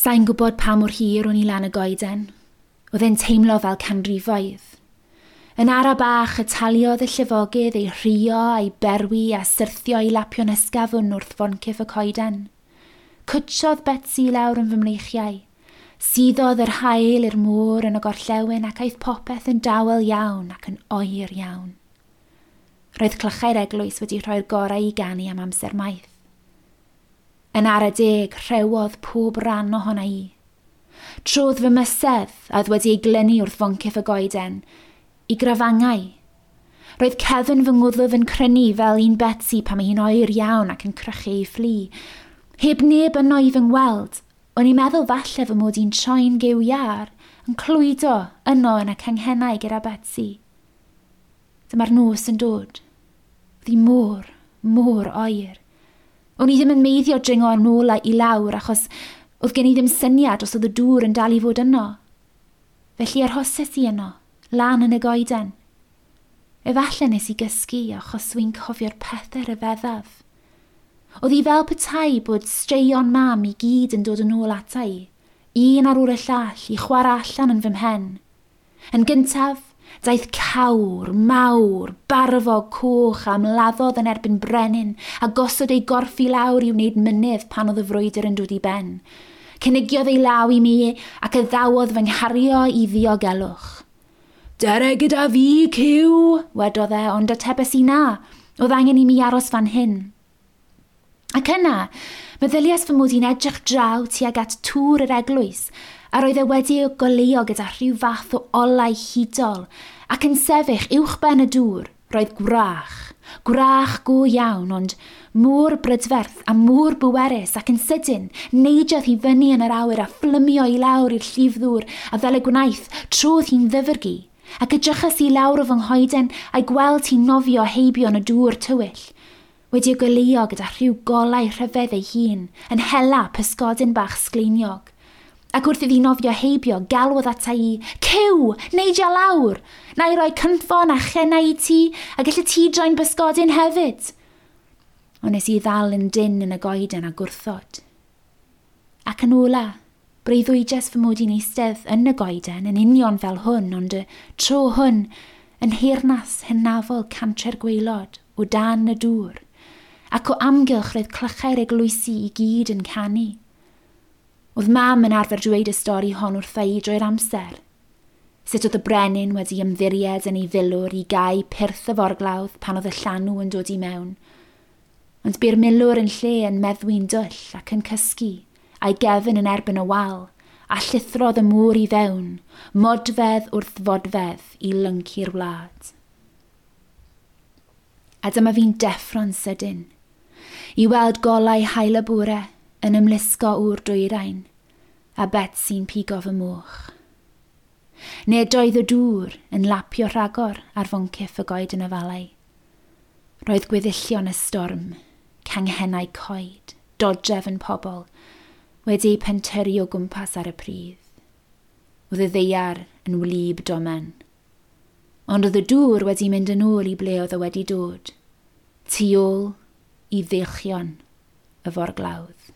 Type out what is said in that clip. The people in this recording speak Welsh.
Sa'n gwybod pa mor hir o'n i lan y goeden. Oedd e'n teimlo fel canrifoedd. Yn ara bach y taliodd y llifogydd ei rhuo a'i berwi a syrthio i lapio'n ysgafn wrth foncyff y coeden. Cwtsiodd Betsi lawr yn fy mreichiau. Suddodd yr haul i'r môr yn y gorllewin ac aeth popeth yn dawel iawn ac yn oer iawn. Roedd clychau'r eglwys wedi rhoi'r gorau i ganu am amser maith. Yn ara deg, rhewodd pob ran ohona i. Trodd fy mysedd, a oedd wedi ei glynu wrth foncyff y goeden, i grafangau. Roedd cefn fy ngwddf yn crynu fel un Betsi pan mae hi'n oer iawn ac yn crychu ei fflu. Heb neb yno i fy ngweld, o'n i'n meddwl falle fy mod i'n troi'n gyw iâr, yn clwydo yno yn y canghennau gyda Betsi. Dyma'r nos yn dod. Oedd hi mor, mor oer. O'n i ddim yn meiddio dringo yn ôl i lawr achos oedd gen i ddim syniad os oedd y dŵr yn dal i fod yno. Felly arhoses i yno, lan yn y goeden. Efallai nes i gysgu achos wy'n cofio'r pethau rhyfeddaf. Oedd hi fel petai bod straeon mam i gyd yn dod yn ôl ata i, un ar ôl y llall, i chwarae allan yn fy mhen. Yn gyntaf, daeth cawr, mawr, barfog coch a ymladdodd yn erbyn brenin a gosod ei gorff i lawr i wneud mynydd pan oedd y frwydr yn dod i ben. Cynigiodd ei law i mi ac addawodd fy nghario i ddiogelwch. Dere gyda fi, cyw, wedodd e, ond atebes i na. Oedd angen i mi aros fan hyn. Ac yna, meddyliais fy mod i'n edrych draw tuag at tŵr yr eglwys, a roedd e wedi ei goleuo gyda rhyw fath o olau hudol, ac yn sefyll uwchben y dŵr, roedd gwrach. Gwrach go iawn, ond mor brydferth a mor bwerus, ac yn sydyn, neidiodd hi fyny yn yr awyr a phlymio i lawr i'r llif ddŵr, a fel y gwnaeth, trodd hi'n ddyfrgi. Ac edrychais i lawr o fy nghoeden a'i gweld hi'n nofio heibio yn y dŵr tywyll, wedi ei goleuo gyda rhyw golau rhyfedd ei hun, yn hela pysgodyn bach sgleiniog. Ac wrth iddi nofio heibio, galwodd ata i, Cyw, neidia lawr! Na i roi cynffon a chennau i ti, a gallu ti droi'n bysgodyn hefyd. Ond nes i ddal yn dynn yn y goeden a gwrthod. Ac yn ola, breuddwydiais fy mod i'n eistedd yn y goeden yn union fel hwn, ond y tro hwn yn nheyrnas hynafol Cantre'r Gwaelod, o dan y dŵr, ac o amgylch roedd clychau'r eglwysi i gyd yn canu. Oedd mam yn arfer dweud y stori hon wrtha i drwy'r amser. Sut oedd y brenin wedi ymddiried yn ei filwr i gau pyrth y forglawdd pan oedd y llanw yn dod i mewn. Ond bu'r milwr yn lle yn meddwi'n dwll ac yn cysgu, a'i gefn yn erbyn y wal, a llithrodd y môr i fewn, modfedd wrth fodfedd i lyncu'r wlad. A dyma fi'n deffro'n sydyn, i weld golau haul y bore yn ymlusgo o'r dwyrain, a Betsy'n pigo fy moch. Nid oedd y dŵr yn lapio rhagor ar foncyff y goeden afalau. Roedd gweddillion y storm, canghennau coed, dodrefn pobl, wedi eu pentyrru o gwmpas ar y pridd. Oedd y ddaear yn wlyb domen. Ond oedd y dŵr wedi mynd yn ôl i ble oedd o wedi dod, tu ôl i ddeilchion y forglawdd.